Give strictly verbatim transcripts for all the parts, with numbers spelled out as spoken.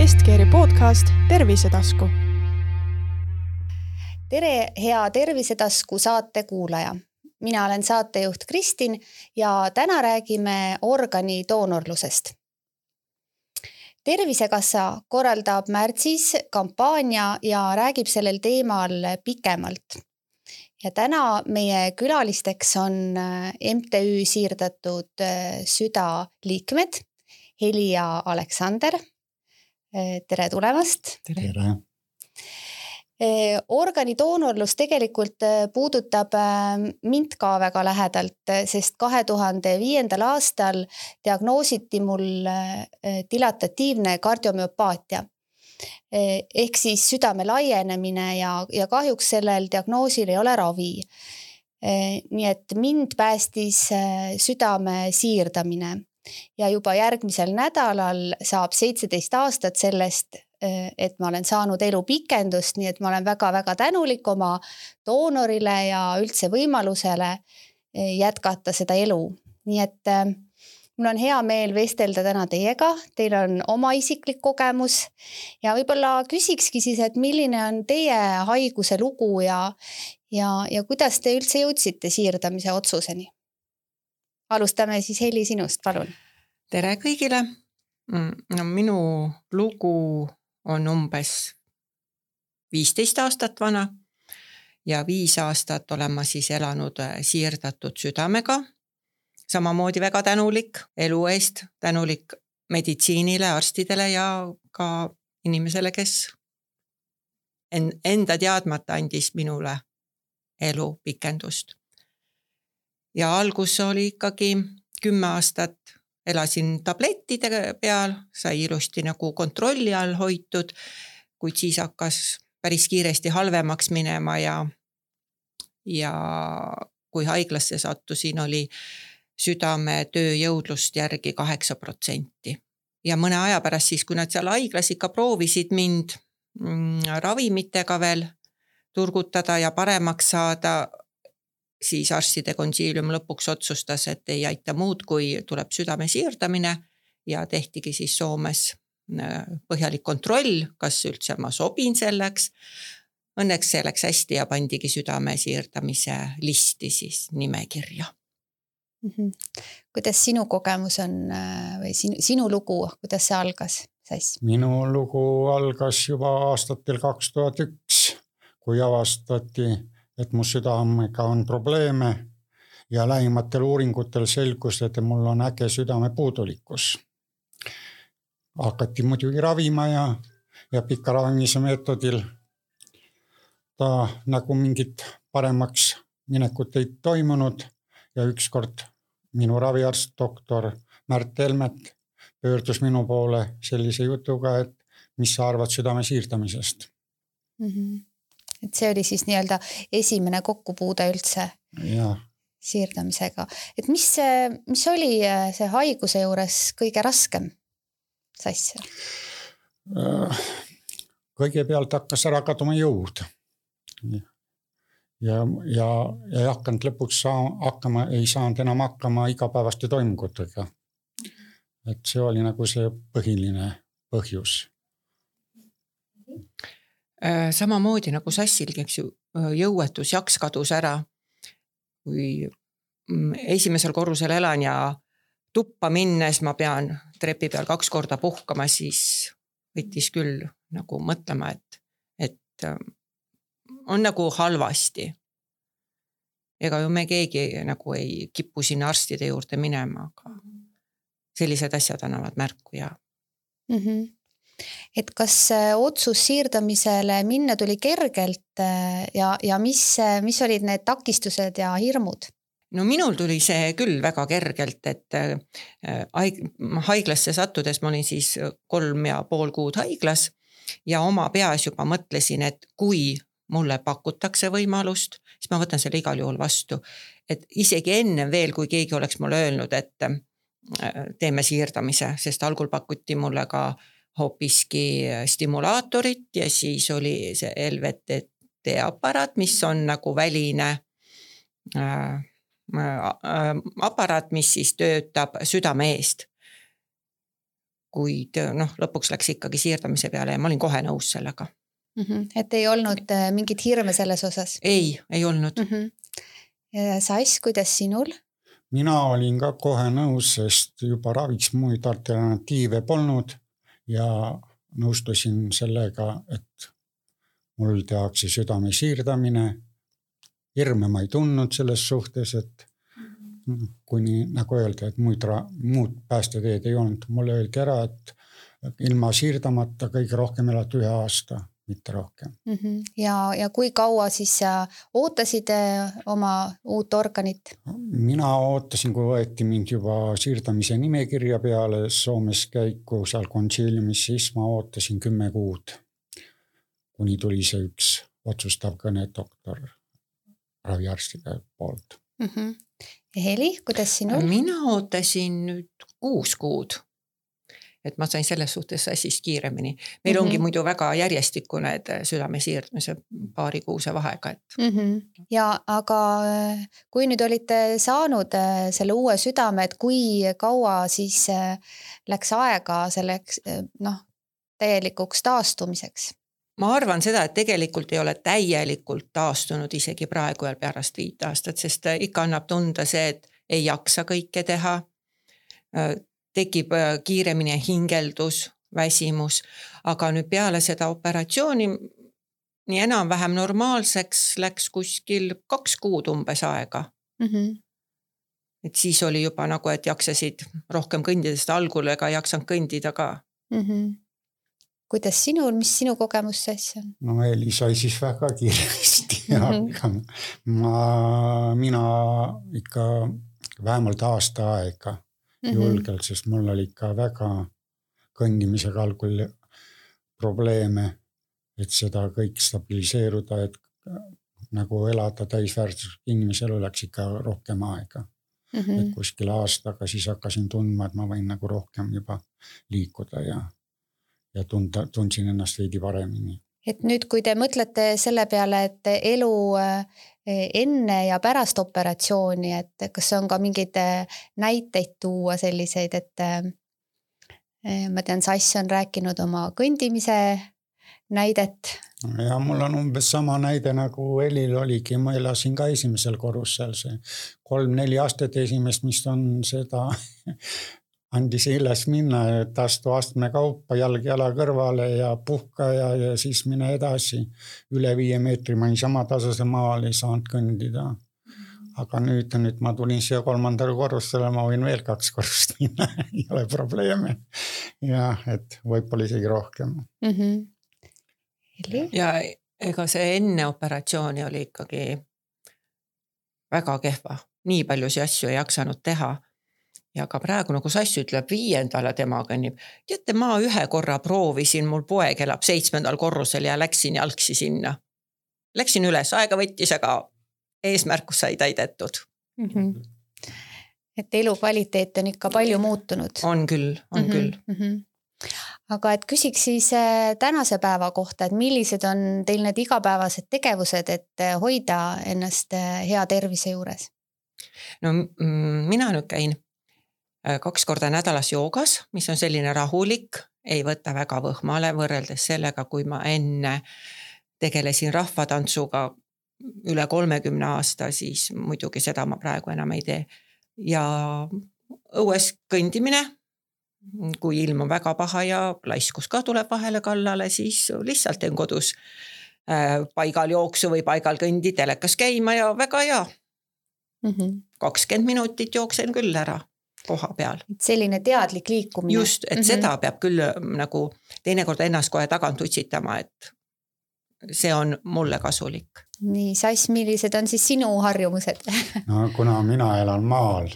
Estkeeri podcast Tervisetasku. Tere, hea Tervisetasku saate kuulaja. Mina olen saatejuht Kristin ja täna räägime organidoonorlusest. Tervisekassa korraldab märtsis kampaania ja räägib sellel teemal pikemalt. Ja täna meie külalisteks on M T Ü siirdatud süda liikmed Heli ja Aleksander. Tere tulemast. Tere. Organidoonorlus tegelikult puudutab mind ka väga lähedalt, sest kahe tuhande viiendal aastal diagnoositi mul dilatatiivne kardiomüopaatia. Ehk siis südame laienemine ja, ja kahjuks sellel diagnoosil ei ole ravi. Nii et mind päästis südame siirdamine ja juba järgmisel nädalal saab seitseteist aastat sellest, et ma olen saanud elu pikendust, nii et ma olen väga-väga tänulik oma doonorile ja üldse võimalusele jätkata seda elu. Nii et mul on hea meel vestelda täna teiega, teil on oma isiklik kogemus ja võib-olla küsikski siis, et milline on teie haiguse lugu ja, ja, ja kuidas te üldse jõudsite siirdamise otsuseni? Alustame siis Heli sinust, palun. Tere kõigile. No, minu lugu on umbes viisteist aastat vana ja viis aastat olen ma siis elanud siirdatud südamega. Samamoodi väga tänulik elu eest, tänulik meditsiinile, arstidele ja ka inimesele, kes enda teadmata andis minule elu pikendust. Ja algus oli ikkagi kümme aastat elasin tablettide peal, sai ilusti nagu kontrolli all hoitud, kuid siis hakkas päris kiiresti halvemaks minema ja, ja kui haiglasse sattusin, oli südame tööjõudlust järgi kaheksa protsenti. Ja mõne aja pärast siis, kui nad seal haiglas ikka proovisid mind mm, ravimitega veel turgutada ja paremaks saada, siis arstide konsiilium lõpuks otsustas, et ei aita muud, kui tuleb südame siirdamine ja tehtigi siis Soomes põhjalik kontroll, kas üldse ma sobin selleks. Õnneks see läks hästi ja pandigi südame siirdamise listi siis nimekirja. Mm-hmm. Kuidas sinu kogemus on või sinu, sinu lugu, kuidas see algas? Sass? Minu lugu algas juba aastatel kaks tuhat üks, kui avastati, et mu südamega on probleeme ja lähimatel uuringutel selgus, et mul on äge südame puudulikkus. Hakati muidugi ravima ja, ja pika ravimise meetodil ta nagu mingit paremaks minekut ei toimunud ja ükskord minu raviarst doktor Märt Helmet pöördus minu poole sellise jutuga, et mis sa arvad südame siirdamisest. Mm-hmm. Et see oli siis nii-öelda esimene kokkupuude üldse ja. Siirdamisega. Et mis, mis oli see haiguse juures kõige raskem? Sass? Kõigepealt hakkas ära kaduma jõud. Ja, ja, ja ei hakanud lõpuks saa, hakkama, ei saanud enam hakkama igapäevaste toimungutega. Et see oli nagu see põhiline põhjus. Samamoodi nagu Sassilgi, eks ju, jõuetus jaks kadus ära. Kui esimesel korrusel elan ja tuppa minnes ma pean trepi peal kaks korda puhkama, siis võttis küll nagu mõtlema, et, et on nagu halvasti. Ega ju me keegi nagu ei kipu sinna arstide juurde minema, aga sellised asjad annavad märku ja... Mm-hmm. Et kas otsus siirdamisele minna tuli kergelt ja, ja mis, mis olid need takistused ja hirmud? No minul tuli see küll väga kergelt, et haiglasse sattudes ma olin siis kolm ja pool kuud haiglas ja oma peas juba mõtlesin, et kui mulle pakutakse võimalust, siis ma võtan selle igal juhul vastu. Et isegi enne veel, kui keegi oleks mulle öelnud, et teeme siirdamise, sest algul pakuti mulle ka hoopiski stimulaatorit ja siis oli see L V T aparaat, mis on nagu väline äh, aparaat, mis siis töötab südame eest. kuid noh, lõpuks läks ikkagi siirdamise peale ja ma olin kohe nõus sellega. Mm-hmm. Et ei olnud mingit hirme selles osas? Ei, ei olnud. Mm-hmm. Sass, kuidas sinul? Mina olin ka kohe nõus, sest juba raviks muid alternatiive polnud ja nõustusin sellega, et mul tehakse südame siirdamine. Hirme ma ei tundnud selles suhtes, et kuni nagu öelda, et muud, muud päästeteed ei olnud. Mulle öeldi ära, et ilma siirdamata kõige rohkem elad ühe aasta, mitte rohkem. Mm-hmm. Ja, ja kui kaua siis ootasid oma uut organit? Mina ootasin, kui võeti mind juba siirdamise nimekirja peale Soomes käiku seal konsiiliumis, siis ma ootasin kümme kuud, kuni tuli see üks otsustav kõne doktor raviarstide poolt. Mm-hmm. Ja Heli, kuidas sinul? Mina ootasin nüüd kuus kuud, et ma sain selles suhtes Sassist kiiremini. Meil mm-hmm. ongi muidu väga järjestikune südame siirdamise paari kuuse vahega. Et... Mm-hmm. Ja aga kui nüüd olite saanud selle uue südame, et kui kaua siis läks aega selleks noh, täielikuks taastumiseks? Ma arvan seda, et tegelikult ei ole täielikult taastunud isegi praegu ja pärast viit aastat, sest ikka annab tunda see, et ei jaksa kõike teha. Tekib kiiremini hingeldus, väsimus, aga nüüd peale seda operatsiooni nii enam-vähem normaalseks läks kuskil kaks kuud umbes aega. Mm-hmm. Et siis oli juba nagu, et jaksasid rohkem kõndida, sest algul ega jaksanud kõndida ka. Mm-hmm. Kuidas sinul, mis sinu kogemus Sass on? No Eli sai siis väga kiiresti mm-hmm. ma, mina ikka vähemalt aasta aega mm-hmm. julgelt, sest mul oli ikka väga kõndimisega algul probleeme, et seda kõik stabiliseeruda, et nagu elada täisväärtus inimesel oleks ikka rohkem aega. Mm-hmm. Et kuskil aastaga siis hakkasin tundma, et ma võin nagu rohkem juba liikuda ja ja tunda, tundsin ennast veidi paremini. Et nüüd, kui te mõtlete selle peale, et elu enne ja pärast operatsiooni, et kas on ka mingeid näiteid tuua selliseid, et ma tean, Sass on rääkinud oma kõndimise näidet. Ja mul on umbes sama näide nagu Elil oligi, ma elasin ka esimesel korrusel see kolm-neli aastat esimest, mis on seda... andis üles minna, et astu astme kaupa, jalg jala kõrvale ja puhka ja, ja siis mine edasi. Üle viie meetri ma niisama tasase maal ei saanud kõndida. Aga nüüd, nüüd ma tulin siia kolmandale korrustele, ma võin veel kaks korrust minna, ei ole probleeme. Ja, et võib-olla isegi rohkem. Mm-hmm. Ja ega see enne operatsiooni oli ikkagi väga kehva. Nii palju see asju ei jaksanud teha. Ja ka praegu, nagu Sass ütleb, viiendale tema kõnnib. Teate, ma ühe korra proovisin, mul poeg elab seitsmendal korrusel ja läksin jalgsi sinna. Läksin üles, aega võttis, aga eesmärkus sai täidetud. Mm-hmm. Et elu kvaliteet on ikka palju muutunud. On küll, on mm-hmm. küll. Mm-hmm. Aga et küsiks siis tänase päeva kohta, et millised on teil need igapäevased tegevused, et hoida ennast hea tervise juures? No mina nüüd käin kaks korda nädalas joogas, mis on selline rahulik, ei võta väga võhmale võrreldes sellega, kui ma enne tegelesin rahvatantsuga üle kolmekümne aasta, siis muidugi seda ma praegu enam ei tee. Ja õues kõndimine, kui ilm on väga paha ja laiskus ka tuleb vahele kallale, siis lihtsalt teen kodus paigal jooksu või paigal kõndi telekas käima ja väga hea. Mm-hmm. kakskümmend minutit jooksen küll ära koha peal. Selline teadlik liikumine. Just, et mm-hmm. seda peab küll nagu teinekord ennast kohe tagant utsitama, et see on mulle kasulik. Nii, Sass, millised on siis sinu harjumused? No kuna mina elan maal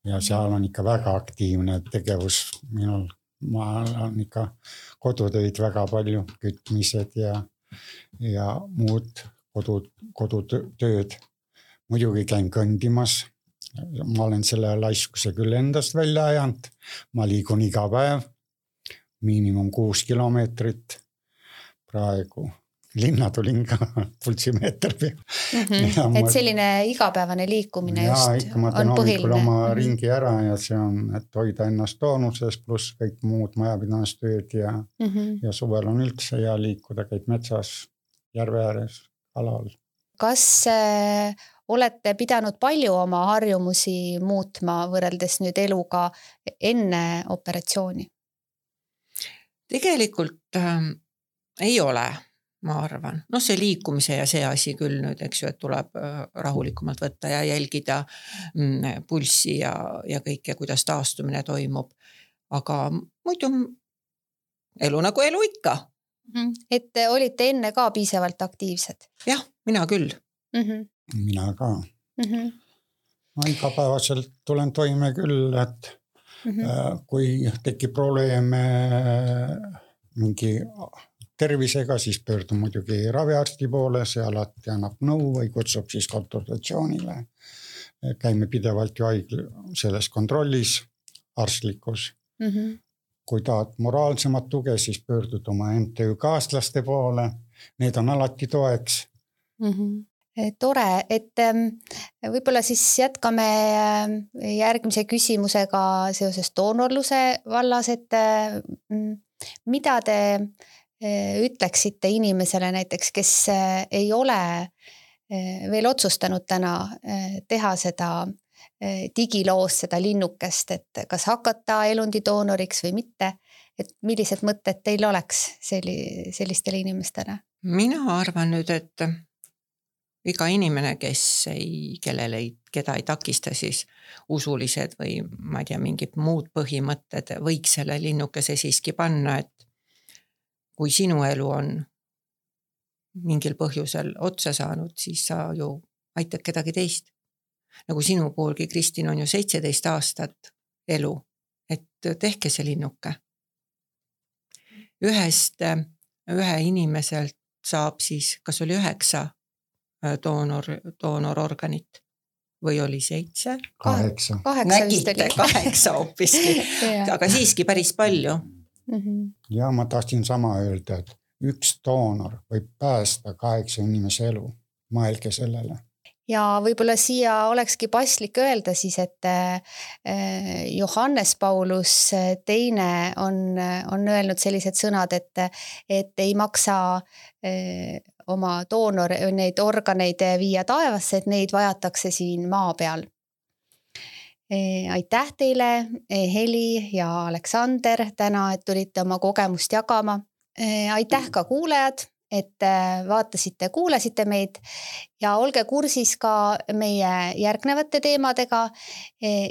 ja seal on ikka väga aktiivne tegevus minul, ma on ikka kodutöid väga palju, kütmised ja, ja muud kodu, kodutööd. Muidugi käin kõndimas. Ma olen selle laiskuse küll endast välja ajanud. Ma liigun iga päev, miinimum kuus kilomeetrit praegu linna tulin ka pulssimeeter peal mm. -hmm. et selline igapäevane liikumine ja, just ikka ma teen hommikul oma mm -hmm. ringi ära ja see on, et hoida ennast toonuses, pluss kõik muud majapidamistööd ja, mm -hmm. ja suvel on üldse hea liikuda, käid metsas, järve ääres, kalal. Kas äh, olete pidanud palju oma harjumusi muutma võrreldes nüüd eluga enne operatsiooni? Tegelikult äh, ei ole, ma arvan. No see liikumise ja see asi küll nüüd, eks ju, et tuleb äh, rahulikumalt võtta ja jälgida mm, pulssi ja, ja kõike, kuidas taastumine toimub. Aga muidu elu nagu elu ikka. Mm-hmm. Et olite enne ka piisavalt aktiivsed? Jah, mina küll. Mm-hmm. Mina ka. Mm-hmm. Ma igapäevaselt tulen toime küll, et mm-hmm. kui tekib probleeme mingi tervisega, siis pöördun muidugi raviarsti poole, see alati annab nõu või kutsub siis konsultatsioonile. Käime pidevalt ju haigl selles kontrollis, arstlikus. Mm-hmm. Kui tahad moraalsemat tuge, siis pöördud oma M T Ü kaaslaste poole. Need on alati toeks. Mm-hmm. Tore, et võib-olla siis jätkame järgmise küsimusega seoses doonorluse vallas, et mida te ütleksite inimesele näiteks, kes ei ole veel otsustanud täna teha seda digiloos, seda linnukest, et kas hakata elundidoonoriks või mitte, et millised mõtted teil oleks selli, sellistele inimestele? Mina arvan nüüd, et iga inimene, kes ei, kellele ei, keda ei takista siis usulised või ma ei tea, mingid muud põhimõtted, võiks selle linnukese siiski panna, et kui sinu elu on mingil põhjusel otsa saanud, siis sa ju aitad kedagi teist. Nagu sinu poolgi, Kristin, on ju seitseteist aastat elu, et tehke see linnuke. Ühest, ühe inimeselt saab siis, kas oli üheksa doonor, doonororganit või oli seitse? Kaheksa. Nägite, kaheksa hoopiski, aga siiski päris palju. Mm-hmm. Ja ma tahtsin sama öelda, et üks doonor võib päästa kaheksa inimese elu. Mõelge sellele. Ja võib-olla siia olekski paslik öelda siis, et Johannes Paulus teine on, on öelnud sellised sõnad, et, et ei maksa oma doonor, neid organeid viia taevasse, et neid vajatakse siin maa peal. Aitäh teile, Heli ja Aleksander, täna, et tulite oma kogemust jagama. Aitäh ka kuulajad, et vaatasite, kuulasite meid ja olge kursis ka meie järgnevate teemadega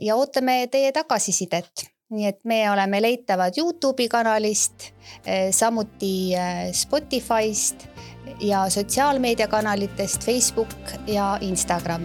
ja ootame teie tagasisidet. Nii et me oleme leitavad YouTube'i kanalist, samuti Spotify'st ja sotsiaalmeediakanalitest Facebook ja Instagram.